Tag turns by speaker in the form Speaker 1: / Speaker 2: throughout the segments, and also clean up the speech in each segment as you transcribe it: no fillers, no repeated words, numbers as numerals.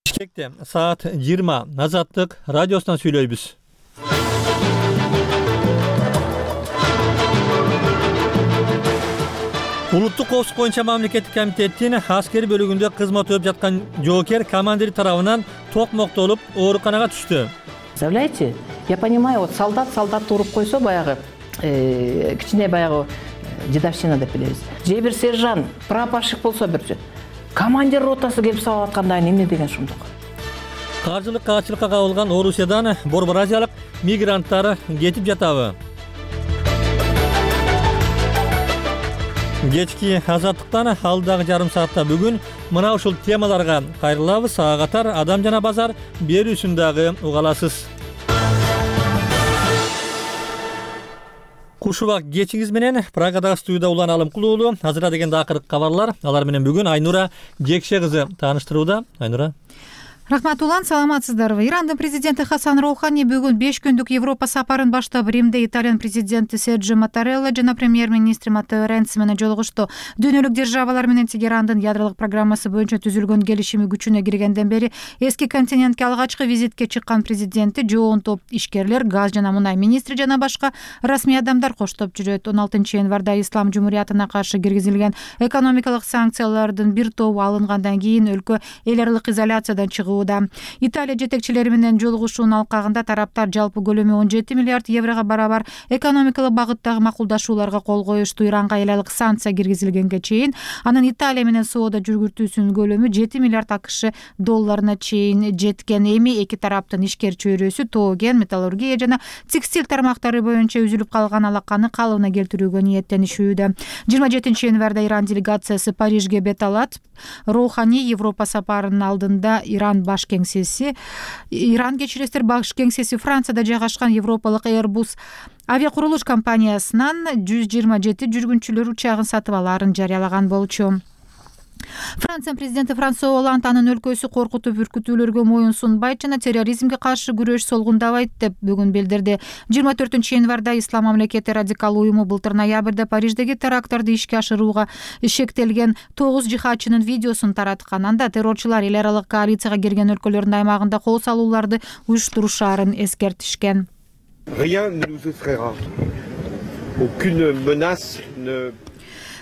Speaker 1: Бишкекте саат 20 Азаттык радиосунан сүйлөйбүз. Улуттук коопсуздук боюнча мамлекеттик комитеттин аскери бөлүгүндө кызмат өтүп жаткан жоокер командир тарабынан токмоктолуп ооруканага түштү.
Speaker 2: Представляете, я понимаю, вот солдат уруп койсо баягы кичине баягы дедовщина деп билебиз. Же бир сержант, прапорщик болсо бир командир ротасы келип сабап атканда эмне деген шумдук.
Speaker 1: Каржылык каачылыкка кабылган Орусиядан Борборазиялык мигранттар кетип жатабы? Кечки Азаттыктан алдагы жарым саатта бүгүн мына ушул темаларга кайрылабыз. Ага катар Адам жана базар берүүсүн дагы уга аласыз. Куш убак кечиңиз менен Прагадагы студияда Улан Алымкулуу. Азыра дегенде акыркы кабарлар. Алар менен бүгүн Айнура Жекше кызы тааныштырууда. Айнура.
Speaker 3: Рахмат Улан, саламатсыздарбы? Ирандын президенти Хасан Роухани бүгүн 5 күндүк Европа сапарын баштап Римде Италиянын президенти Серджио Маттарелла жана премьер-министри Маттео Ренци менен жолугушту. Дүйнөлүк державалар менен Тегерандын ядролук программасы боюнча түзүлгөн келишими күчүнө киргенден бери эски континентке алгачкы визитке чыккан президенти жоон топ ишкерлер, газ жана мунай министри жана башка расмий адамдар коштоп жүрөт. 16 январда Ислам Жумуриятына каршы киргизилген экономикалык санкциялардын бир тобу алынгандан кийин өлкө эл аралык изоляциядан чыгуу. Италия жетекчилери менен жолугушуунун алкагында тараптар жалпы көлөмү 17 миллиард еврого барабар экономикалык багыттагы макулдашууларга кол коюшту. Иранга эл аралык санкция киргизилгенге чейин анын Италия менен соода жүргүзүүсүнүн көлөмү 7 миллиард АКШ долларына чейин жеткен. Эми эки тараптын ишкер чөйрөсү тоо кен, металлургия жана текстиль тармактары боюнча үзүлүп калган алаканы калыбына келтирүүгө ниеттенишүүдө. 27 январда Иран делегациясы Парижге бет алат. Роухани Европа сапарынын алдында Иран баш кеңсеси Францияда жайгашкан европалык Airbus авиакурулуш компаниясынан 127 жүргүнчүлөр учагын сатып алаарын жарыялаган болчу. Франция президенти Франсуа Олланд анын өлкөсү коркутуп үркүтүүлөргө моюн сунбайт жана терроризмге каршы күрөш солгундабайт деп бүгүн билдирди. 24 январда Ислам мамлекети радикал уюму былтыр ноябрда Париждеги теракттарды ишке ашырууга шектелген 9 жихадчынын видеосун тараткан. Анда террорчулар эл аралык коалицияга кирген өлкөлөрдүн аймагында кол салууларды уюштурушаарын эскертишкен.
Speaker 4: Rien ne nous effraiera. Aucune menace ne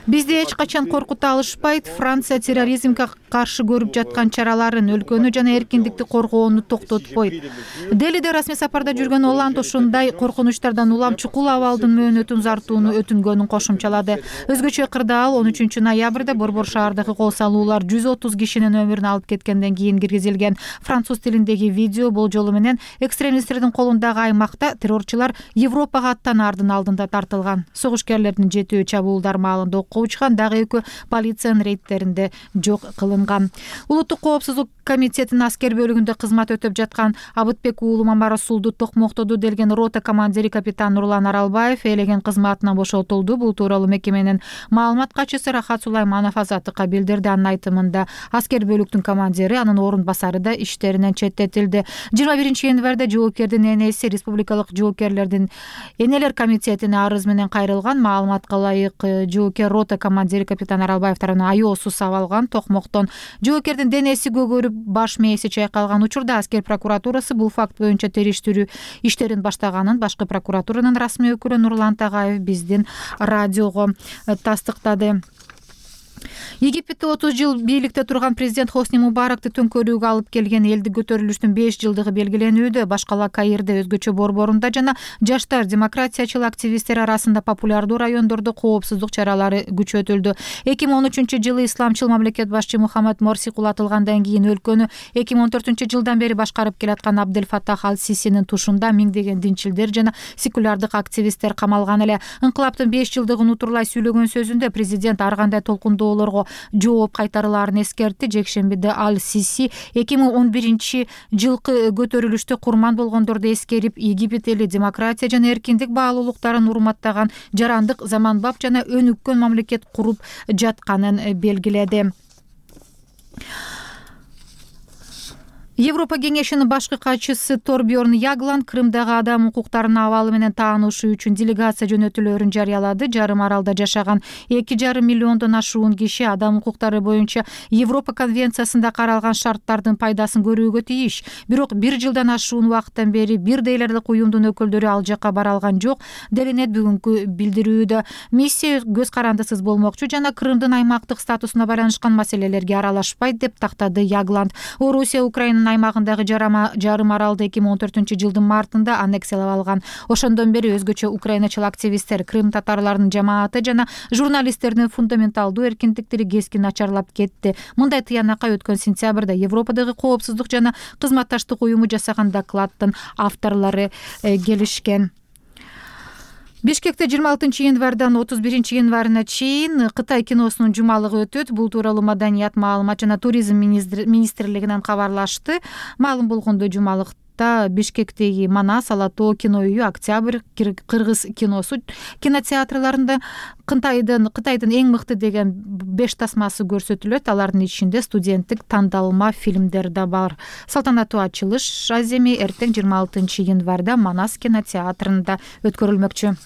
Speaker 3: Бизди эч качан коркута алышпайт. Франция терроризмге каршы көрүп жаткан чараларын, өлкөнү жана эркиндикти коргоону токтотпойт. Делиде расмий сапарда жүргөн Олланд ушундай коркунучтардан улам чукул абалдын мөөнөтүн узартууну өтүнгөнүн кошумчалады. Өзгөчө ыкырда ал 13 ноябрда Борбор шаардагы кол салуулар 130 кишинин өмүрүн алып кеткенден кийин киргизилген. Француз тилиндеги видео болжолу менен экстремисттердин колундагы аймакта террорчулар Европага аттанаардын алдында тартылган. Согушкерлердин жетөө чабуулдар маалында окко учкан, дагы экөө полициянын рейдтеринде жок кылынган. Улуттук коопсуздук комитетинин аскер бөлүгүндө кызмат өтүп жаткан Абытбек уулу Мамарасулду токмоктоду делген рота командири капитан Нурлан Аралбаев элеген кызматынан бошотулду. Бул тууралуу мекеменин маалымат катчысы Рахат Сулайманов Азаттыкка билдирди. Анын айтымында аскер бөлүктүн командири, анын орун басары да иштеринен четтетилди. 21 январда жоокердин энеси республикалык жоокерлердин энелер комитетине арыз менен кайрылган. Маалыматка ылайык жоокер рота командири капитан Аралбаев тарабынан айоосу сабалган. Токмоктон жоокердин денеси көгөрүп, баш мээси чайкалган учурда аскер прокуратурасы бул факт боюнча териштирүү иштерин баштаганын башкы прокуратуранын расмий өкүлү Нурлан Тагаев биздин радиого тастыктады. Египетте 30 жыл бийликте турган президент Хосни Мубаракты төңкөрүүгө алып келген элди көтөрүлүштүн 5 жылдыгы белгиленүүдө. Башкала Каирде, өзгөчө Борборунда жана жаштар демократиячыл активисттер арасында популярдуу райондордо коопсуздук чаралары күчөтүлдү. 2013-жылы исламчыл мамлекет башчы Мухаммад Морси кулатылгандан кийин өлкөнү 2014-жылдан бери башкарып келаткан Абдель Фаттах Аль-Сисинин тушунда миңдеген динчилдер жана секулярдык активисттер камалган эле. Инкылаптын 5 жылдыгын утурлай сүйлөгөн сөзүндө президент ар кандай толкундоолорго жооп кайтарылаарын эскертти. Жекшембиде Аль-Сиси 2011-жылкы көтөрүлүштө курман болгондорду эскерип, Египет эли демократия жана эркиндик баалуулуктарын урматтаган жарандык, заманбап жана өнүккөн мамлекет куруп жатканын белгиледи. Европа кеңешинин башкы катчысы Торбьорн Ягланд Крымдагы адам укуктарынын абалы менен таанышуу үчүн делегация жөнөтүүлөрүн жарыялады. Жарым аралда жашаган 2,5 миллиондон ашуун киши адам укуктары боюнча Европа конвенциясында каралган шарттардын пайдасын көрүүгө тийиш. Бирок 1 жылдан ашуун убакыттан бери бир дейлерлик уюмдун өкүлдөрү ал жакка бара алган жок делинет бүгүнкү билдирүүдө. Миссия көз карандысыз болмокчу жана Крымдын аймактык статусуна байланышкан маселелерге аралашпайт деп тактады Ягланд. Орусия Украинанын аймагындагы жарым аралды 2014-жылдын мартында аннексиялап алган. Ошондон бери өзгөчө украиначыл активисттер, Крым татарларынын жамааты жана журналисттердин фундаменталдуу эркиндиктери кескин начарлап кетти. Мындай тыянакка өткөн сентябрда Европадагы коопсуздук жана кызматташтык уюму жасаган докладдын авторлору келишкен. Бишкекте 26-январдан 31-январына чейин Кытай киносунун жумалыгы өтөт. Бул тууралуу Маданият, маалымат жана туризм министрлигинен кабарлашты. Маалым болгондой жумалыкта Бишкектеги Манас, Алатоо кино үйү, Октябрь, Кыргыз киносу кинотеатрларында Кытайдын эң мыкты деген 5 тасмасы көрсөтүлөт. Алардын ичинде студенттик тандалма фильмдер да бар. Салтанаттуу ачылыш аземи эртең 26-январда Манас кинотеатрында өткөрүлмөкчү.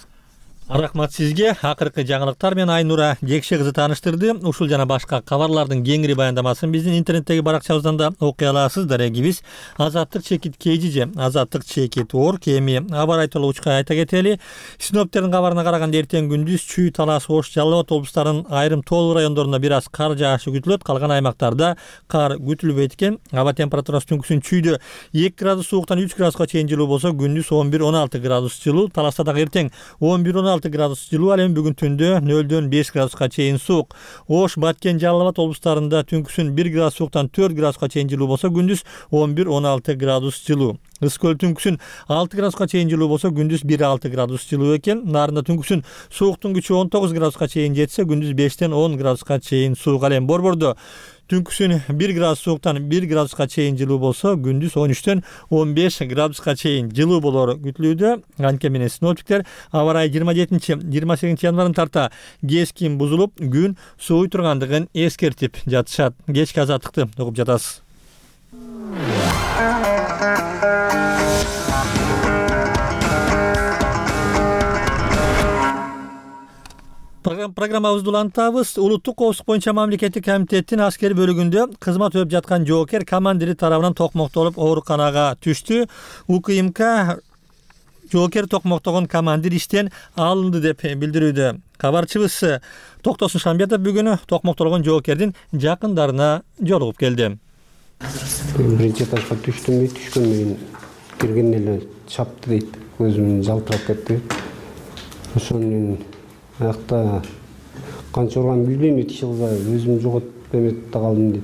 Speaker 1: Рахмат сизге. Акыркы жаңылыктар менен Айнура Жекше кызы тааныштырды. Ушул жана башка кабарлардын кеңири баяндамасын биздин интернеттеги баракчабыздан да окуй аласыз. Дарегибиз Азаттык чекит KG, Азаттык чекит Орг. Эми аба райы учка айта кетели. Синоптиктердин кабарына караганда эртең күндүз Чүй, Талас, Ош, Жалал Абад облустарынын айрым тоо райондорунда бир аз кар жаашы күтүлөт. Калган аймактарда кар күтүлбөйт экен. Аба температурасы түнкүсүн Чүйдө 2 градус сууктан 3 градуска чейин жылуу болсо, күндүз 11-16 градус жылуу. Таласта дагы эртең 11-16 градус жылуу, ал эми бүгүн түндө 0-дөн 5 градуска чейин суук. Ош, Баткен, Жалал Абад облустарында түнкүсүн 1 градус сууктан 4 градуска чейин жылуу болсо, күндүз 11-16 градус жылуу. Ыс көл түнкүсүн 6 градуска чейин жылуу болсо, күндүз 1-6 градус жылуу экен. Нарында түнкүсүн сууктун күчү 19 градуска чейин жетсе, күндүз 5-тен 10 градуска чейин суук. Ал эми Борбордо түнкүсүн 1 градус сууктан 1 градуска чейин жылуу болсо, күндүз 13-төн 15 градуска чейин жылуу болору күтүлүүдө. Анткени менен синоптиктер аба райы 27-28 январдан тарта кескин бузулуп, күн сууй тургандыгын эскертип жатышат. Кечки азаттыкты угуп жатасыз. Программабызды улантабыз. Улуттук коопсуздук боюнча мамлекеттик комитеттин аскери бөлүгүндө кызмат өтүп жаткан жоокер командири тарабынан токмоктолуп ооруканага түштү. УКМК жоокер токмоктогон командир иштен алынды деп билдирүүдө. Кабарчыбыз Токтосун Шамбетов бүгүн токмоктолгон жоокердин жакындарына жолугуп келди.
Speaker 5: Биринчи этажга түшкөн менен киргенде эле чапты дейт. Көзүм жалтырап кетти. Ошону аякта канча урган билбейм, иши кылса өзүм жоготуп эметип калдым дейт.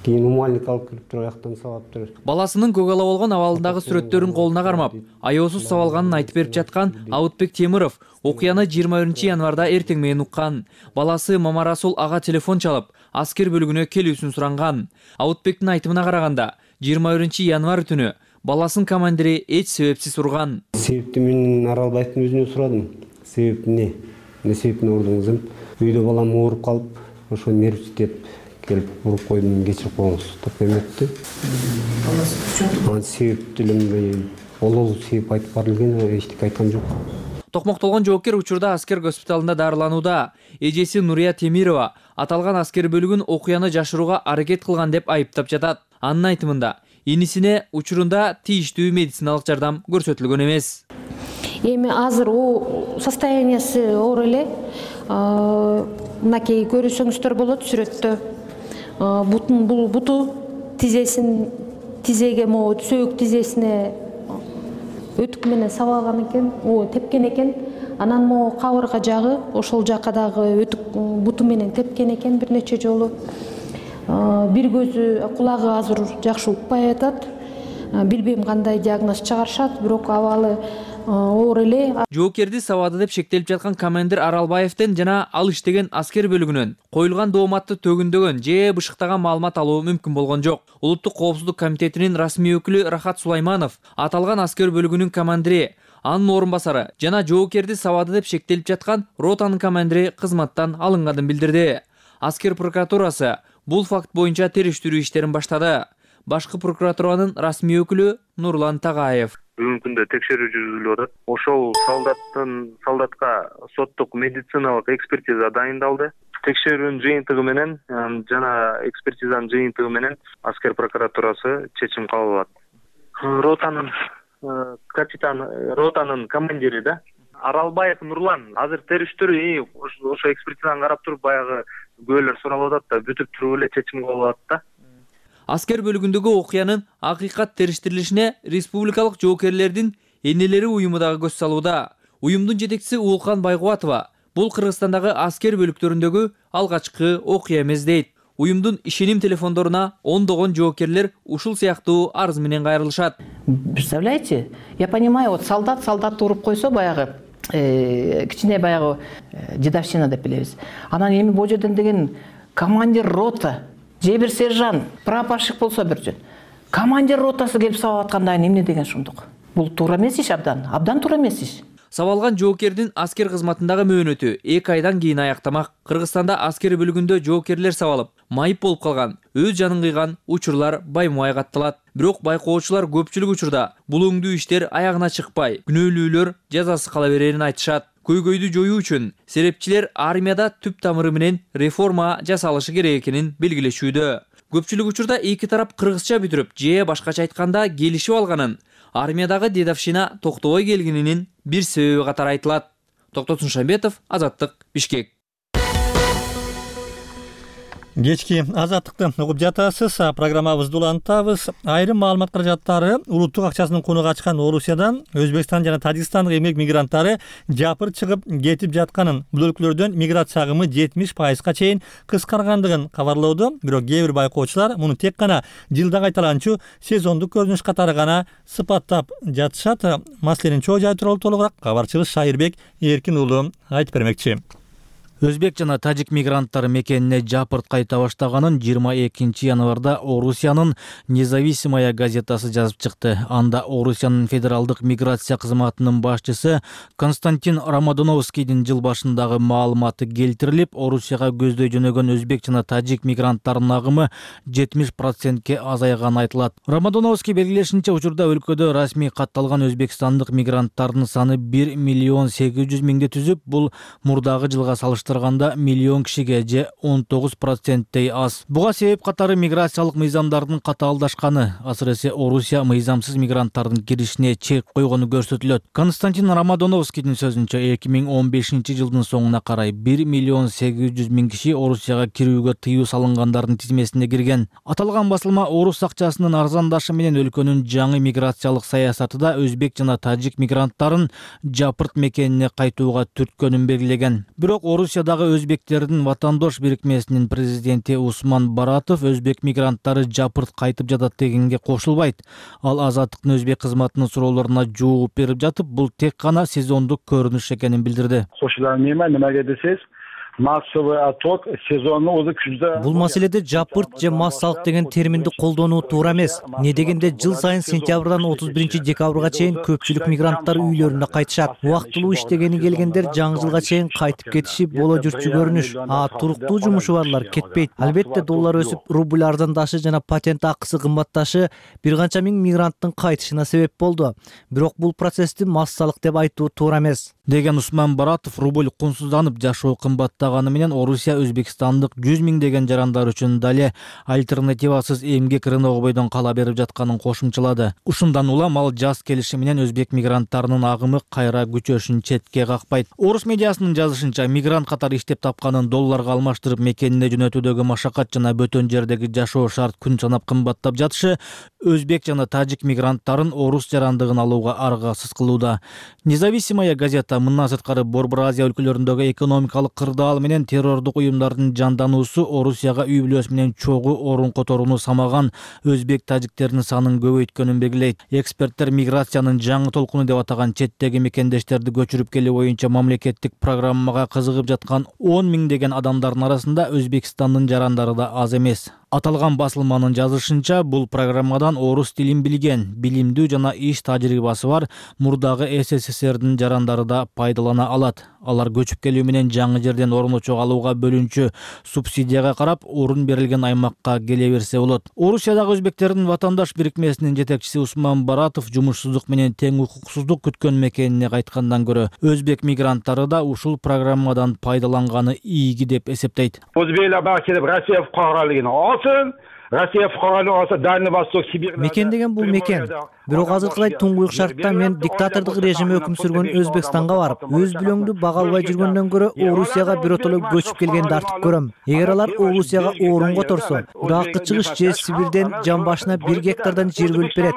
Speaker 5: Кийин умальник алып кирип туруп аяктан сабаптыр.
Speaker 6: Баласынын көк ала болгон абалындагы сүрөттөрүн колуна кармап, аеосуз сабалганын айтып берип жаткан Абытбек Темиров окуяны 21-январда эртең менен уккан. Баласы Мамарасул ага телефон чалып, аскер бөлүгүнө келүүсүн суранган. Абытбектин айтымына караганда, 21-январ түнү баласынын командири эч себепсиз урган.
Speaker 5: Себепти мен Аралбаевдин өзүнөн сурадым. Себеп эмне себептен урдуңуз? Үйдө балам ооруп калып, ошо нервтеп келип уруп койдум, кечирип коюңуз деп эметти. Себеп деле ол себеп айтып бар элген, эчтеке айткан жок.
Speaker 6: Токмоктолгон жоокер учурда аскер госпиталында дарыланууда. Эжеси Нурия Темирова аталган аскер бөлүгүн окуяны жашырууга аракет кылган деп айыптап жатат. Анын айтымында, инисине учурунда тийиштүү медициналык жардам көрсөтүлгөн эмес.
Speaker 7: Эми азыр состояниясы оор эле. Мынакей көрүсөңүздөр болот сүрөттө. Бул буту тизеге сөөк тизесине өтүк менен сабалган экен, тепкен экен. Анан кабырга жагы ошол жакка дагы өтүк буту менен тепкен экен бир нече жолу. Бир көзү, кулагы азыр жакшы укпай атат. Билбейм кандай диагноз чыгарышат, бирок абалы оор эле.
Speaker 6: Жоокерди сабады деп шектелип жаткан командир Аралбаевден жана ал иштеген аскер бөлүгүнөн коюлган дооматты төгүндөгөн же бышыктаган маалымат алуу мүмкүн болгон жок. Улуттук коопсуздук комитетинин расмий өкүлү Рахат Сулайманов аталган аскер бөлүгүнүн командири, анын орун басары жана жоокерди сабады деп шектелип жаткан ротанын командири кызматтан алынганын билдирди. Аскер прокуратурасы бул факт боюнча териштирүү иштерин баштады. башкы прокуратуранын расмий өкүлү Нурлан Тагаев.
Speaker 8: Бүгүнкү күндө текшерүү жүргүзүлүп атат. Ошол солдатка соттук медициналык экспертиза дайындалды. Текшерүүнүн жыйынтыгы менен жана экспертизанын жыйынтыгы менен аскер прокуратурасы чечим кабыл алат. Ротанын командири да Аралбаев Нурлан азыр териштирүү ошо экспертизаны карап туруп баягы күбөлөр суралып атат да бүтүп туруп эле чечим кабыл алат да.
Speaker 6: Аскер бөлүгүндөгү окуянын акыйкат териштирилишине республикалык жоокерлердин энелери уюму дагы көз салууда. Уюмдун жетекчиси Уулкан Байгубатова бул Кыргызстандагы аскер бөлүктөрүндөгү алгачкы окуя эмес дейт. Уюмдун ишеним телефондоруна ондогон жоокерлер ушул сыяктуу арыз менен кайрылышат.
Speaker 2: Представляете, я понимаю, вот солдат уруп койсо баягы кичине баягы дедовщина деп билебиз. Анан эми бул жерден деген командир рота же бир сержант, прапорщик болсо бирчи. Командир ротасы келип сабап атканда эмне деген шундук? Бул туура эмес иш, абдан туура эмес иш.
Speaker 6: Сабалган жоокердин аскер кызматындагы мөөнөтү 2 айдан кийин аяктамак. Кыргызстанда аскер бөлүгүндө жоокерлер сабалып, майып болуп калган, өз жанын кыйган учурлар баймай катталат. Бирок байкоочулар көпчүлүк учурда бул өңдүү иштер аягына чыкпай, күнөөлүүлөр жазасыз кала берерин айтышат. Көйгөйдү жоюу үчүн серепчилер армияда түп тамыры менен реформа жасалышы керек экенин белгилешүүдө. Көпчүлүк учурда эки тарап кыргызча бүтүрүп, же башкача айтканда келишип алганын, армиядагы дедовщина токтобой келгенинин бир себеби катары айтылат. Токтотун Шамбетов, Азаттык, Бишкек.
Speaker 1: Кечки Азаттыкты угуп жатасыз. Программабызды улантабыз. Айрым маалымат каражаттары улуттук акчасынын кунуга ачкан Орусиядан Өзбекстан жана Тажикстандык эмгек мигранттары жапыр чыгып кетип жатканын, бул өлкөлөрдөн миграция агымы 70%га чейин кыскаргандыгын кабарлоодо. Бирок кээ бир байкоочулар муну тек гана жылда кайталанчу сезондук көрүнүш катары гана сыпаттап жатышат. Маселенин чоо жайы тууралуу толугураак кабарчыбыз Шайырбек Эркин уулу айтып бермекчи.
Speaker 9: Өзбек жана тажик мигранттары мекенине жапырт кайта баштаганын 22 январда Орусиянын Независимая газетасы жазып чыкты. Анда Орусиянын федералдык миграция кызматынын башчысы Константин Рамадоновскийдин жыл башындагы маалыматы келтирилип, Орусияга көздөй жөнөгөн өзбек жана тажик мигранттарынын агымы 70%ке азайганы айтылат. Рамадоновский белгилешинче, учурда өлкөдө расмий катталган өзбекстандык мигранттардын саны 1,8 миңди түзүп, бул мурдагы жылга салыштырганда миллион кишиге же 19%-тей аз. Буга себеп катары миграциялык мыйзамдардын катаалдашканы, асыресе Орусия мыйзамсыз мигранттардын киришине чек койгону көрсөтүлөт. Константин Рамадоновскийдин сөзүнчө 2015 жылдын соңуна карай 1,8 киши Орусияга кирүүгө тыюу салынгандардын тизмесине кирген. Аталган басылма орус акчасынын арзандашы менен өлкөнүн жаңы миграциялык саясатыда өзбек жана тажик мигранттарын жапырт мекенине кайтууга түрткөнүн белгилеген. Бирок Орусиядагы өзбектердин ватандош бирикмесинин президенти Усман Баратов өзбек мигранттары жапырт кайтып жатат дегенге кошулбайт. Ал Азаттыктын өзбек кызматынын суроолоруна жооп берип жатып, бул тек гана сезондук көрүнүш экенин билдирди.
Speaker 10: Немеге десеңиз, массовый отток сезонну өзү күздө.
Speaker 11: Бул маселеде жапырт же массалык деген терминди колдонуу туура эмес. Не дегенде жыл сайын сентябрдан 31 декабрга чейин көпчүлүк мигранттар үйлөрүнө кайтышат. Убактылуу иштегени келгендер жаңы жылга чейин кайтып кетиши боло жүрчү көрүнүш. Туруктуу жумушу барлар кетпейт. Албетте доллар өсүп, рубль арзандашы жана патент акысы кымбатташы бир канча миң мигранттын кайтышына себеп болду. Бирок бул процессти массалык деп айтуу туура эмес,
Speaker 9: деген Усман Баратов. Рубль кунсузданып, жашоо кымбаттаганы менен Орусия Өзбекстандык 100 миңдеген жарандар үчүн дале альтернативасыз эмгек рыногу бойдон кала берип жатканын кошумчалады. Ушундан улам ал жаз келиши менен өзбек мигранттарынын агымы кайра күчөшүн четке какпайт. Орус медиасынын жазышынча, мигрант катары иштеп тапканын долларга алмаштырып мекенине жөнөтүүдөгү машакат жана бөтөн жердеги жашоо шарт күн санап кымбаттап жатышы өзбек жана тажик мигранттарын орус жарандыгын алууга аргасыз кылууда. Независимая газета мындан сырткары Борбор Азия өлкөлөрүндөгү экономикалык кырдаал менен террордук уюмдардын жандануусу Орусияга үй бүлөсү менен чогуу орун которууну самаган өзбек тажиктердин санын көбөйткөнүн белгилейт. Эксперттер миграциянын жаңы толкуну деп атаган четтеги мекендештерди көчүрүп келүү боюнча мамлекеттик программага кызыгып жаткан 10 миңдеген адамдардын арасында Өзбекстандын жарандары да аз эмес. Аталган басылманын жазышынча, бул программадан орус тилин билген, билимдүү жана иш тажрыйбасы бар мурдагы СССРдин жарандары да пайдалана алат. Алар көчүп келүү менен жаңы жерден орун долларын очок алууга бөлүнчү субсидияга карап орун берилген аймакка келе берсе болот. Орусиядагы өзбектердин ватандаш бирикмесинин жетекчиси Усман Баратов жумушсуздук менен тең укуксуздук күткөн мекенине кайткандан көрө өзбек мигранттары да ушул программадан пайдаланганы ийги деп эсептейт.
Speaker 10: Өзбейлер бага келип Россия фукаралыгын алсын, Россия фукаралыгын алса Дальний Восток, Сибирь.
Speaker 11: Мекен деген бул мекен. Бирок азыркыдай туңгуюк шартта мен диктатордук режим өкүм сүргөн Өзбекстанга барып, өз бүлөңдү бага албай жүргөндөн көрө Орусияга биротоло көчүп келгенди артык көрөм. Эгер алар Орусияга орун которсо, Иракка чыгыш же Сибирден жан башына 1 гектардан жер бөлүп берет.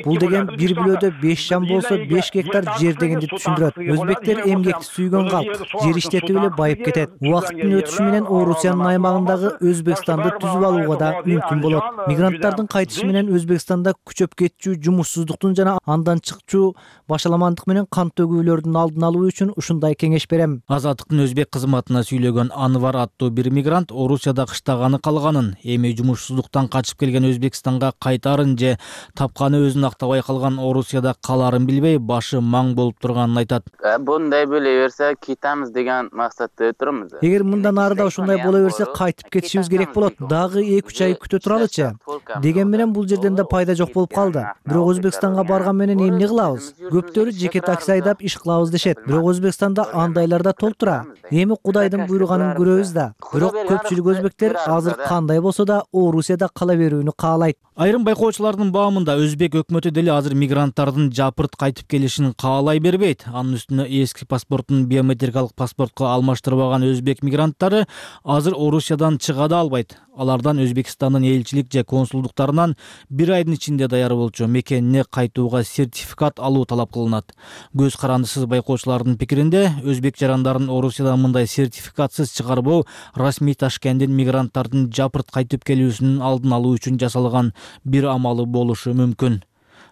Speaker 11: Бул деген бир бүлөдө 5 жан болсо 5 гектар жер дегенди түшүндүрөт. Өзбектер эмгекти сүйгөн калк, жер иштетип эле байып кетет. Убакыттын өтүшү менен Орусиянын аймагындагы Өзбекстанды түзүп алууга да мүмкүн болот. Мигранттардын кайтышы менен Өзбекстанда күчөп кетчү жумушсуздуктун жана андан чыкчу башаламандык менен кан төгүүлөрдүн алдын алуу үчүн ушундай кеңеш берем.
Speaker 9: Азаттыктын өзбек кызматына сүйлөгөн Анвар аттуу бир мигрант Орусияда кыштаганы калганын, эми жумушсуздуктан качып келген Өзбекстанга кайтарын же тапканы өзүн актабай калган Орусияда каларын билбей башы маң болуп турганын айтат.
Speaker 12: Мындай боло берсе кетебиз деген максатта турабыз.
Speaker 11: Эгер мындан ары да ушундай боло берсе кайтып кетишибиз керек болот. Дагы 2-3 ай күтө туралычы. Деген менен бул жерден да пайда жок болуп калды. Бирок Өзбекстанга барган менен эмне кылабыз? Көптөрү жеке такси айдап иш кылабыз дешет. Бирок Өзбекстанда андайлар да толтура. Эми Кудайдын буйруганын көрөбүз да. Бирок көпчүлүк өзбектер азыр кандай болсо да Орусияда кала берүүнү каалайт.
Speaker 9: Айрым байкоочулардын баамында өзбек өкмөтү деле азыр мигранттардын жапырт кайтып келишин каалай бербейт. Анын үстүнө эски паспортун биометрикалык паспортко алмаштырбаган өзбек мигранттары азыр Орусиядан чыга да албайт. Алардан Өзбекстандын элчилик же консулдуктарынан 1 айдын ичинде даяр болчу мекенине кайтууга сертификат алуу талап кылынат. Көз карандысыз байкоочулардын пикиринде өзбек жарандарын Орусиядан мындай сертификатсыз чыгарбоо расмий Ташкенттин мигранттардын жапырт кайтып келүүсүнүн алдын алуу үчүн жасалган бир амалы болушу мүмкүн.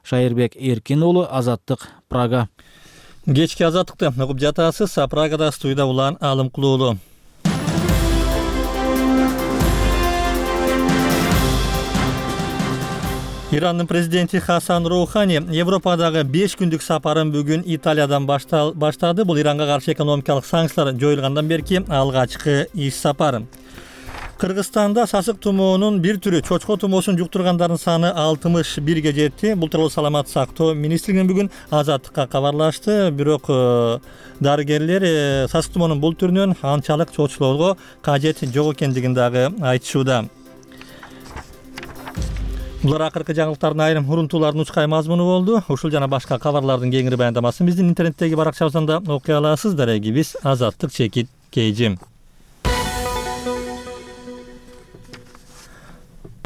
Speaker 9: Шайырбек Эркин уулу, Азаттык, Прага.
Speaker 1: Кечки Азаттыкты угуп жатасыз. Прагада студияда Улан Алымкулуулу. Ирандын президенти Хасан Роухани Европадагы 5 күндүк сапарын бүгүн Италиядан баштады. Бул Иранга каршы экономикалык санкциялар жоюлгандан берки алгачкы иш сапары. Кыргызстанда сасык тумоонун бир түрү чочко тумоосун жуктургандардын саны 61ге жетти. Бул тууралуу Саламаттык сактоо министрлигинен бүгүн Азаттыкка кабарлашты. Бирок дарыгерлер сасык тумоонун бул түрүнөн анчалык чочулоого кажет жок экендигин дагы айтышууда. Булар акыркы жаңылыктардын айрым урунтуулардын учкай мазмуну болду. Ушул жана башка кабарлардын кеңири баяндамасын биздин интернеттеги баракчабыздан да окуй аласыз. Дарегибиз Азаттык_KG.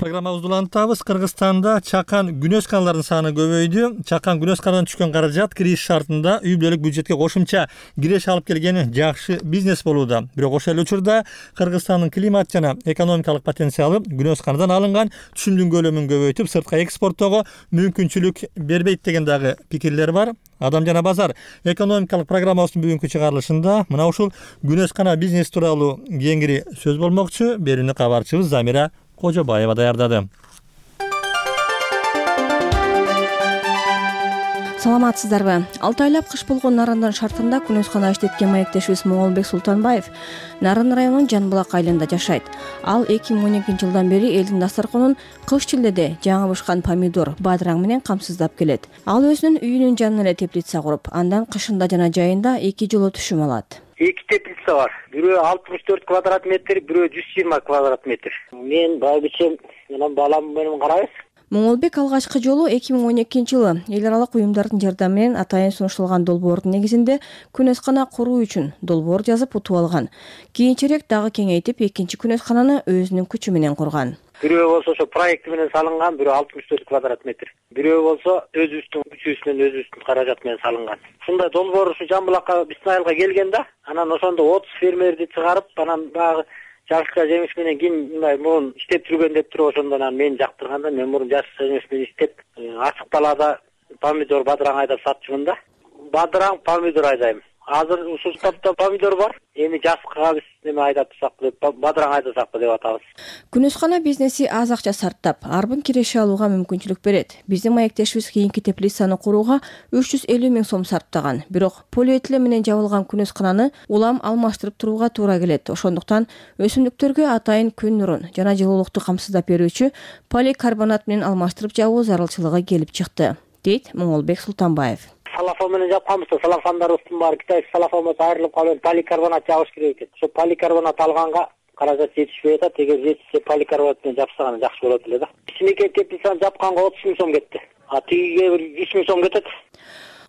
Speaker 1: Программабызды улантабыз. Кыргызстанда чакан күнөс каналардын саны көбөйдү. Чакан күнөс канадан түшкөн каражат кириш шартында үй бүлөлүк бюджетке кошумча киреш алып келгени жакшы бизнес болууда. Бирок ошол эле учурда Кыргызстандын климат жана экономикалык потенциалы күнөс канадан алынган түшүмдүн көлөмүн көбөйтүп, сыртка экспорттоого мүмкүнчүлүк бербейт деген дагы пикирлер бар. Адам жана базар экономикалык программабыздын бүгүнкү чыгарылышында мына ушул күнөс кана бизнес тууралуу кеңири сөз болмокчу. Берүүнү кабарчыбыз Замира Кожобаева даярдады.
Speaker 13: Саламатсыздарбы? 6 айлап кыш болгон Нарындын шартында күнөс кана иштеткен маектешибиз Моңолбек Султанбаев Нарын районунун Жанбулак айылында жашайт. Ал 2012-жылдан бери элдин дасторконун кыш-чилдеде жаңы бышкан помидор, бадыраң менен камсыздап келет. Ал өзүнүн үйүнүн жанына эле теплица куруп, андан кышында жана жайында 2 жолу түшүм алат.
Speaker 14: 2 теплица бар. Бирөө 64 квадрат метр, бирөө 120 квадрат метр. Мен байбичем менен балам менен карайбыз.
Speaker 13: Моңолбек алгачкы жолу 2012-жылы эл аралык уюмдардын жардамы менен атайын сунушталган долбоордун негизинде күнөскана куруу үчүн долбоор жазып утуп алган. Кийинчерээк дагы кеңейтип экинчи күнөскананы өзүнүн күчү менен курган.
Speaker 14: Бирөө болсо ошо проекти менен салынган, бирөө 64 квадрат метр. Бирөө болсо өзүбүздүн күчүбүз менен өзүбүздүн каражат менен салынган. Ушундай долбоор ушу Жамбулакка биздин айылга келген да, анан ошондо 30 фермерди чыгарып, анан багы жашка жемиш менен ким мындай мурун иштеп жүргөн деп туруп ошондон анан мени жактырганда мен мурун жашка жемиш менен иштеп ачык талаада помидор, бадыраң айдап сатчумун да. Бадыраң, помидор айдайм. Азыр ушул таптан помидор бар. Эми жазга биз неме айдап турсакпы деп, бадыраң айдасакпы деп атабыз.
Speaker 13: Күнөскана бизнеси аз акча сарптап, арбын киреше алууга мүмкүнчүлүк берет. Биздин маектешибиз кийинки теплицаны курууга 350 миң сом сарптаган. Бирок полиэтилен менен жабылган күнөскананы улам алмаштырып турууга туура келет. Ошондуктан өсүмдүктөргө атайын күн нурун жана жылуулукту камсыздап берүүчү поликарбонат менен алмаштырып жабуу зарылчылыгы келип чыкты, дейт Моңолбек Султанбаев.
Speaker 14: Салафон менен жапканбыз, салафандарыбыздын баары китайский салафон айрылып калып, поликарбонат жабыш керек экен. Ошо поликарбонат алганга каражат жетишпей атат. Эгер жетишсе поликарбонат менен жапсаган жакшы болот эле да. Кичинекей теплицаны жапканга 30 миң сом кетти. Тигиге бир 3 миң сом кетет.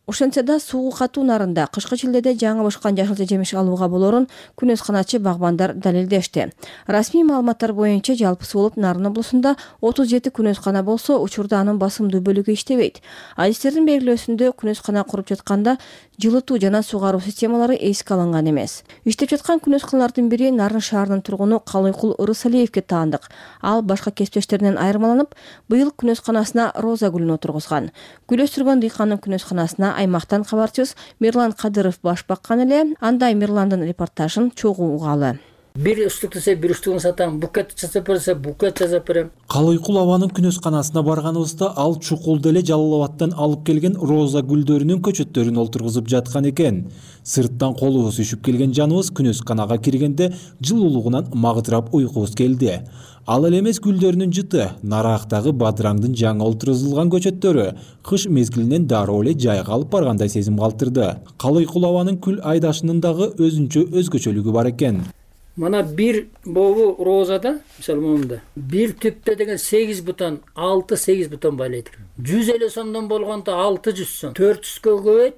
Speaker 13: Ошентсе да суугу катуу нарында кышкы чилдеде жаңы бышкан жашылча жемиш алууга болорун күнөсканачы багбандар далилдешти. Расмий маалыматтар боюнча жалпысы болуп Нарын облусунда 37 күнөскана болсо, учурда анын басымдуу бөлүгү иштебейт. Адистердин белгилөөсүндө күнөскана куруп жатканда жылытуу жана сугаруу системалары эске алынган эмес. Иштеп жаткан күнөсканалардын бири Нарын шаарынын тургуну Калыйкул Ырысалиевге таандык. Ал башка кесиптештеринен айырмаланып, быйыл күнөсканасына роза гүлүн отургузган. Гүл өстүргөн дыйкандын күнөсканасына аймактан кабарчыбыз Мирлан Кадыров баш баккан эле. Андай Мирландын репортажын чогуу угалы.
Speaker 15: Бир үстүк десе бир үстүгүн сатам, букет жасап берсе букет жасап берем.
Speaker 16: Калыйкул абанын күнөсканасына барганыбызда ал чукулду эле Жалал Абадтан алып келген роза гүлдөрүнүн көчөттөрүн олтургузуп жаткан экен. Сырттан колубуз үшүп келген жаныбыз күнөсканага киргенде жылуулугунан магдырап уйкубуз келди. Ал эле эмес гүлдөрүнүн жыты, нарактагы бадыраңдын жаңы олтургузулган көчөттөрү кыш мезгилинен дароо эле жайга алып баргандай сезим калтырды. Калыйкул абанын күл айдашынын дагы өзгөчөлүгү бар экен.
Speaker 15: Мана бир бобу розада, мисалы момунда, бир түптө деген 8 бутон, 6-8 бутон байлайт. 150 сомдон болгондо 600 сом. 400гө көбөйт,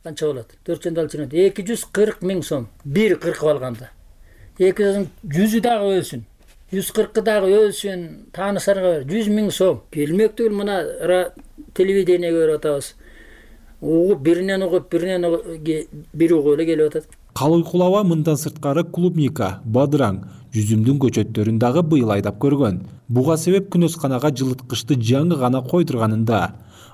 Speaker 15: канча болот? 400 алчынат 240 миң сом. Бир кыркып алганда. 100 дагы өлсүн. 140 дагы өлсүн, таанышарга 100 миң сом. Келмек түгүл, мына телевидение көрүп атабыз. Угуп биринен угуп, бир угуп эле келип атат.
Speaker 16: Калыйкул аба мындан сырткары клубника, бадыраң, жүзүмдүн көчөттөрүн дагы быйыл айдап көргөн. Буга себеп күнөсканага жылыткычты жаңы гана койдурганында.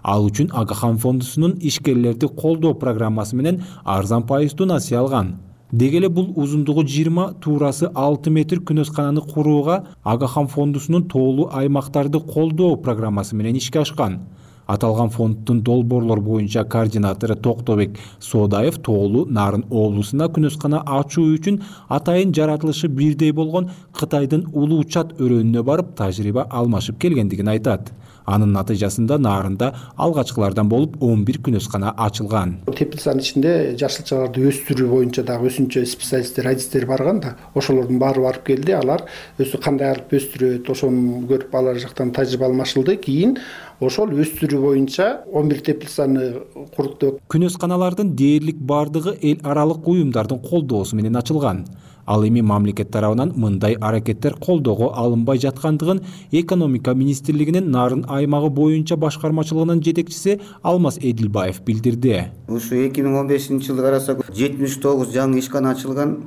Speaker 16: Ал үчүн Агахан фондусунун ишкерлерди колдоо программасы менен арзан пайыздуу насыя алган. Деги эле бул узундугу 20, туурасы 6 метр күнөскананы курууга Агахан фондусунун тоолуу аймактарды колдоо программасы менен ишке ашкан. Аталган фонддун долбоорлор боюнча координатору Токтобек Соодаев тоолуу Нарын облусуна күнөскана ачуу үчүн атайын жаратылышы бирдей болгон Кытайдын Улуу Чат өрөөнүнө барып тажрыйба алмашып келгендигин айтат. Анын натыйжасында Нарында алгачкылардан болуп 11 күнөскана ачылган.
Speaker 17: Теплицанын ичинде жашылчаларды өстүрүү боюнча дагы өсүнчө специалисттер, адистер барган да, ошолордун баары барып келди. Алар кандай алып өстүрөт, ошону көрүп алар жактан тажрыйба алмашылды. Кийин ошол өстүрүү боюнча 11 теплицаны куруктук.
Speaker 16: Күнөсканалардын дээрлик бардыгы эл аралык уюмдардын колдоосу менен ачылган. Ал эми мамлекет тарабынан мындай аракеттер колдоого алынбай жаткандыгын экономика министрлигинин Нарын аймагы боюнча башкармачылыгынын жетекчиси Алмаз Эдилбаев билдирди.
Speaker 18: Ушу 2015-жылы карасак 79 жаңы ишкана ачылган.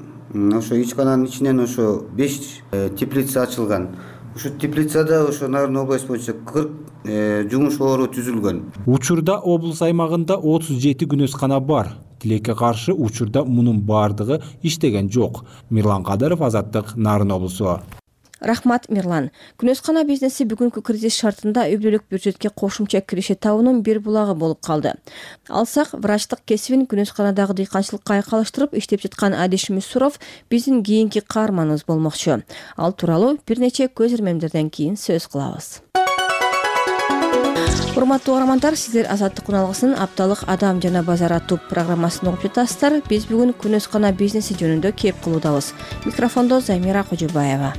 Speaker 18: Ошо ишкананын ичинен ошо 5 теплица ачылган. Ушу теплицада ошо Нарын область боюнча 40 жумуш ору түзүлгөн.
Speaker 16: Учурда облус аймагында 37 күнөскана бар. Тилекке каршы учурда мунун бардыгы иштеген жок. Мирлан Кадыров, Азаттык, Нарын облусу.
Speaker 13: Рахмат, Мирлан. Күнөскана бизнеси бүгүнкү кризис шартында үй-бүлөлүк бюджетке кошумча киреше табуунун бир булагы болуп калды. Алсак, врачтык кесибин күнөсканадагы дыйканчылыкка айкалыштырып иштеп жаткан Адиш Мусуров биздин кийинки каарманыбыз болмокчу. Ал тууралуу бир нече көз ирмемдерден кийин сөз кылабыз. Урматтуу угармандар, сиздер Азаттык күналгысынын апталык Адам жана базар аттуу программасын угуп жатасыздар. Биз бүгүн күнөскана бизнеси жөнүндө кеп кылуудабыз. Микрофондо Замира Кожобаева.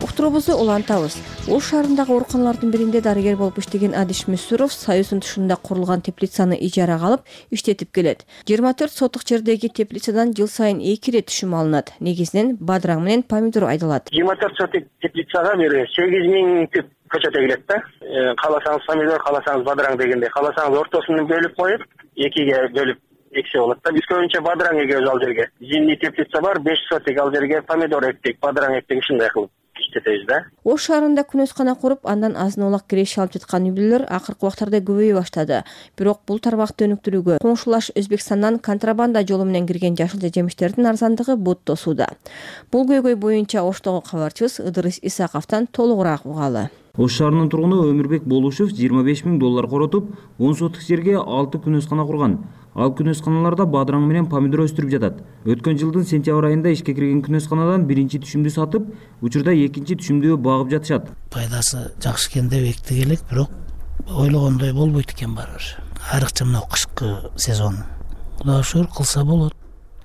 Speaker 13: Уктуруубузду улантабыз. Ош шаарындагы ооруканалардын биринде дарыгер болуп иштеген Адиш Мусуров Союздун тушунда курулган теплицаны ижарага алып иштетип келет. 24 сотук жердеги теплицадан жыл сайын 2 ирет түшүм алынат. Негизинен бадыраң менен помидор айдалат.
Speaker 14: 24 сотук теплицага бир 8 миң түп көчөт эгилет да. Кааласаңыз помидор, кааласаңыз бадыраң дегенде, кааласаңыз ортосун бөлүп коюп, экиге бөлүп эксе болот да. Биз көбүнчө бадыраң эгебиз ал жерге. Зимний теплица бар, 5 сотук ал жерге помидор эктик, бадыраң эктик ушундай кылып. иштетебиз да.
Speaker 13: Ош шаарында күнөскана куруп, андан азын олак киреше алып жаткан үй бүлөлөр акыркы убактарда көбөйө баштады. Бирок бул тармакты өнүктүрүүгө коңшулаш Өзбекстандан контрабанда жолу менен кирген жашыл жемиштердин арзандыгы бут тосууда. Бул көйгөй боюнча Оштогу кабарчыбыз Ыдырыс Исаковдон толугураак угалы.
Speaker 6: Ош шаарынын тургуну Өмүрбек Болушев 25 000 доллар коротуп, 10 соттук жерге 6 күнөскана курган. Ал күнөсканаларда бадыраң менен помидор өстүрүп жатат. Өткөн жылдын сентябрь айында ишке кирген күнөсканадан биринчи түшүмдү сатып, учурда экинчи түшүмдү багып жатышат.
Speaker 19: Пайдасы жакшы экен деп эктик элек, бирок ойлогондой болбойт экен барыбыр. Айрыкча мына кышкы сезон. Кудайга шүгүр кылса болот.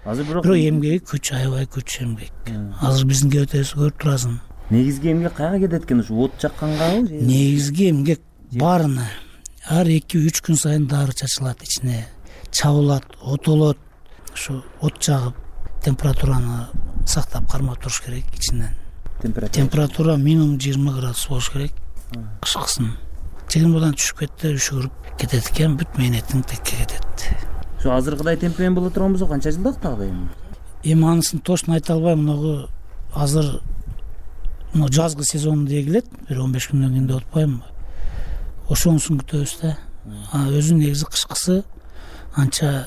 Speaker 6: Азыр
Speaker 19: бирок эмгеги күч, аябай күч эмгек. Азыр биздин өтөсү көрүп турасың.
Speaker 6: Негизги эмгек кайга кетет экен? Ушу от жаккангабы?
Speaker 19: Негизги эмгек баарына. Ар 2-3 күн сайын дары чачылат ичине. Чабылат, отолот, ушу от жагып, температураны сактап кармап туруш керек ичинен. Температура минимум 20 градус болуш керек. Кышкысын. Чегин будан түшүп кетти, үшүгүрүп кетет экен, бүт мээнетиң текке кетет.
Speaker 6: Ушу азыркыдай темпмен боло турган болсо канча жылдык тагы эми?
Speaker 19: Эми анысын точно айта албайм, мынагы азыр жазгы сезон дей келет, бир 15 күндөн кийин деп атпаймынбы? Ошонусун күтөбүз да. Өзү негизи кышкысы анча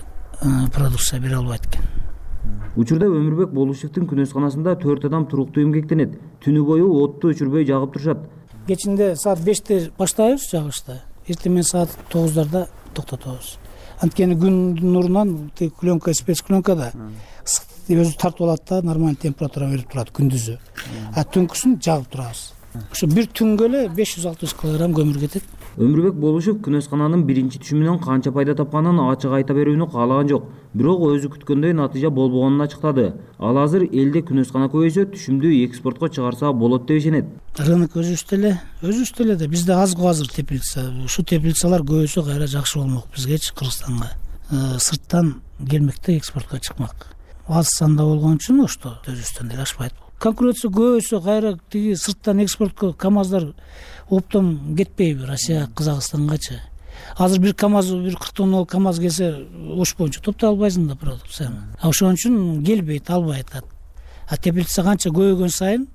Speaker 19: продукция бере албайт экен.
Speaker 6: Учурда Өмүрбек Болушевдин күнөсканасында 4 адам туруктуу эмгектенет. Түнү бою отту өчүрбөй жагып турушат.
Speaker 19: Кечинде саат 5-те баштайбыз жагышты. Эртең саат 9-дарда токтотобуз. Анткени күндүн нурунан пленка, спецпленкада өзү тартып алат да, нормалдуу температура берип турат күндүзү. Түнкүсүн жагып турабыз. Ошо бир түнгө эле 500-600 килограмм көмүр кетет.
Speaker 6: Өмүрбек Болушев күнөскананын биринчи түшүмүнөн канча пайда тапканын ачык айта берүүнү каалаган жок. Бирок өзү күткөндөй натыйжа болбогонун ачыктады. Ал азыр элде күнөскана көбөйсө, түшүмдү экспортко чыгарса болот деп ишенет.
Speaker 19: Рынок өзүбүздө эле да, бизде аз го азыр теплица. Ушу теплицалар көбөйсө кайра жакшы болмок бизгечи, Кыргызстанга. Сырттан келмекте экспортко чыкмак. Аз санда болгон үчүн Ошто өзүбүздөн деле ашпайт. Конкуренция көбөйсө кайра тиги сырттан экспортко КАМАЗдар оптом кетпейби Россия, Казакстангачы. Азыр бир КАМАЗ, бир 40 тоннолук КАМАЗ келсе, Ош боюнча топтой албайсың да продукцияны. Ошон үчүн келбейт, албайт. Теплица канча көбөйгөн сайын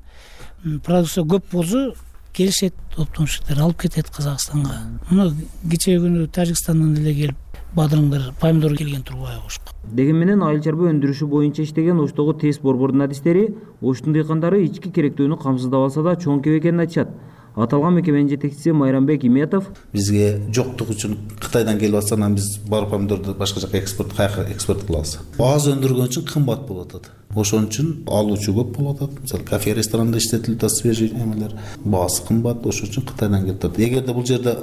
Speaker 19: продукция көп болсо келишет, оптомщиктер алып кетет Казакстанга. Мына кечээ күнү Тажикстандан эле келип бадыраңдар, помидор келген турбайбы Ошко.
Speaker 6: Деген менен айыл чарба өндүрүшү боюнча иштеген Оштогу ТЭС борбордун адистери Оштун дыйкандары ички керектүүнү камсыздап алса да чоң кеп экенин айтышат. Аталган мекеменин жетекчиси Майрамбек Иметов
Speaker 20: бизге жоктук үчүн Кытайдан келип атса, анан биз бар помидорду башка жака кайра экспорт кылабыз. Аз өндүргөн үчүн кымбат болуп атат. Ошон үчүн алуучу көп болуп атат. Мисалы, кафе, ресторанда иштетилип атат свежий эмелер, баасы кымбат, ошон үчүн Кытайдан келип атат. Эгерде бул жерде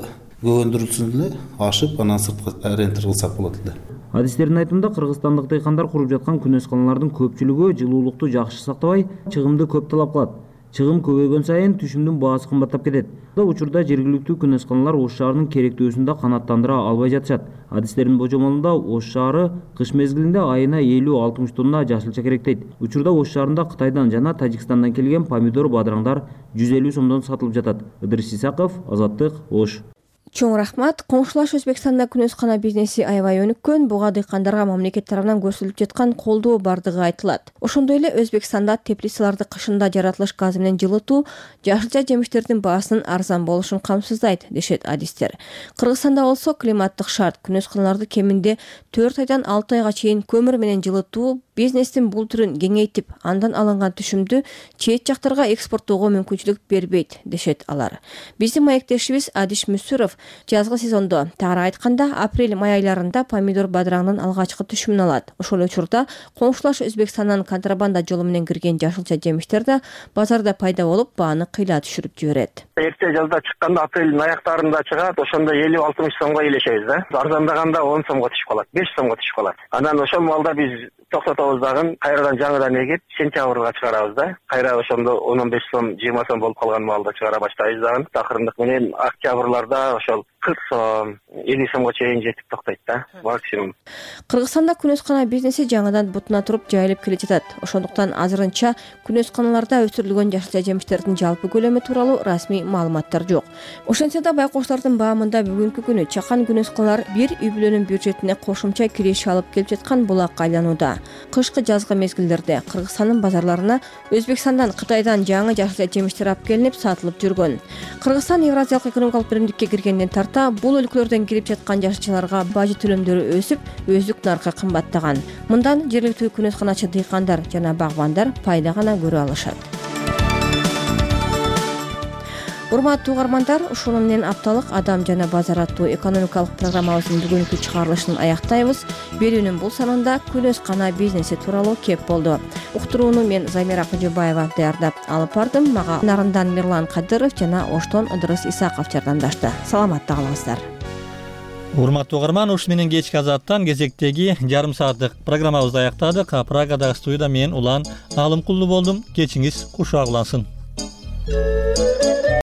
Speaker 20: көп өндүрүлсүн эле, ашып, анан сыртка рентер кылсак болот эле.
Speaker 6: Адистердин айтымында кыргызстандык дыйкандар куруп жаткан күнөсканалардын көпчүлүгү жылуулукту жакшы сактабай, чыгымды көп талап кылат. Чыгым көбөйгөн сайын түшүмдүн баасы кымбаттап кетет. Учурда жергиликтүү күнөсканалар Ош шаарынын керектүүсүн да канааттандыра албай жатышат. Адистердин божомолунда Ош шаары кыш мезгилинде айына 50-60 тонна жашылча керектейт. Учурда Ош шаарында Кытайдан жана Тажикстандан келген помидор, бадыраңдар 150 сомдон сатылып жатат. Ыдырыс Исаков, Азаттык, Ош.
Speaker 13: Чоң рахмат. Коңшулаш Өзбекстанда күнөскана бизнеси аябай өнүккөн, буга дыйкандарга мамлекет тарабынан көрсөтүлүп жаткан колдоо бардыгы айтылат. Ошондой эле Өзбекстанда теплицаларды кышында жаратылыш газы менен жылытуу жашылча жемиштердин баасынын арзан болушун камсыздайт, дешет адистер. Кыргызстанда болсо климаттык шарт күнөсканаларды кеминде 4 айдан 6 айга чейин көмүр менен жылытуу бизнестин бул түрүн кеңейтип, андан алынган түшүмдү чет жактарга экспорттоого мүмкүнчүлүк бербейт, дешет алар. Биздин маектешибиз Адиш Мүсүров жазгы сезондо, тагыраак айтканда апрель-май айларында помидор, бадыраңдын алгачкы түшүмүн алат. Ошол учурда коңшулаш Өзбекстандан контрабанда жолу менен кирген жашылча жемиштер да базарда пайда болуп, бааны кыйла түшүрүп жиберет.
Speaker 14: Эрте жазда чыкканда апрелдин аяктарында чыгат, ошондо 50-60 сомго илешебиз да. Арзандаганда 10 сомго түшүп калат, 5 сомго түшүп калат. Анан ошол малда биз токтотобуз дагы, кайрадан жаңыдан эгип, сентябрга чыгарабыз да. Кайра ошондо 15 сом, 20 сом болуп калган малды чыгара баштайбыз дагы. Такырындык менен октябрларда ошол 40 сом, 50 сомго чейин жетип токтойт да, максимум.
Speaker 13: Кыргызстанда күнөскана бизнеси жаңыдан бутуна туруп жайылып келе жатат. Ошондуктан азырынча күнөсканаларда өсүрүлгөн жашылча жемиштердин жалпы көлөмү тууралуу расмий маалыматтар жок. Ошентсе да байкоштардын баамында бүгүнкү күнү чакан күнөсканалар бир үй бүлөнүн бюджетине кошумча киреше алып келип жаткан булакка айланууда. Кышкы жазгы мезгилдерде Кыргызстандын базарларына Өзбекстандан, Кытайдан жаңы жашыл жемиштер алып келинип сатылып жүргөн. Кыргызстан Евразиялык экономикалык биримдикке киргенден тарта бул өлкөлөрдөн кирип жаткан жашылчыларга бажы төлөмдөрү өсүп, өздүк наркы кымбаттаган. Мындан жергиликтүү күнөсканачы дыйкандар жана багбандар пайда гана көрө алышат. Урматтуу угармандар, ушуну менен апталык Адам жана базар аттуу экономикалык программабыздын бүгүнкү чыгарылышын аяктайбыз. Берүүнүн бул санында күнөскана бизнеси тууралуу кеп болду. Уктурууну мен Замира Кожобаева даярдап алып бардым. Мага нарындан Мирлан Кадыров жана Оштон Ыдырыс Исаков жардамдашты. Саламатта калыңыздар.
Speaker 1: Урматтуу угарман, ушу менен кечки азаттан кезектеги жарым сааттык программабызды аяктадык. Прагадагы студияда мен Улан Алымкулду болдум. Кечиңиз кушак улансын.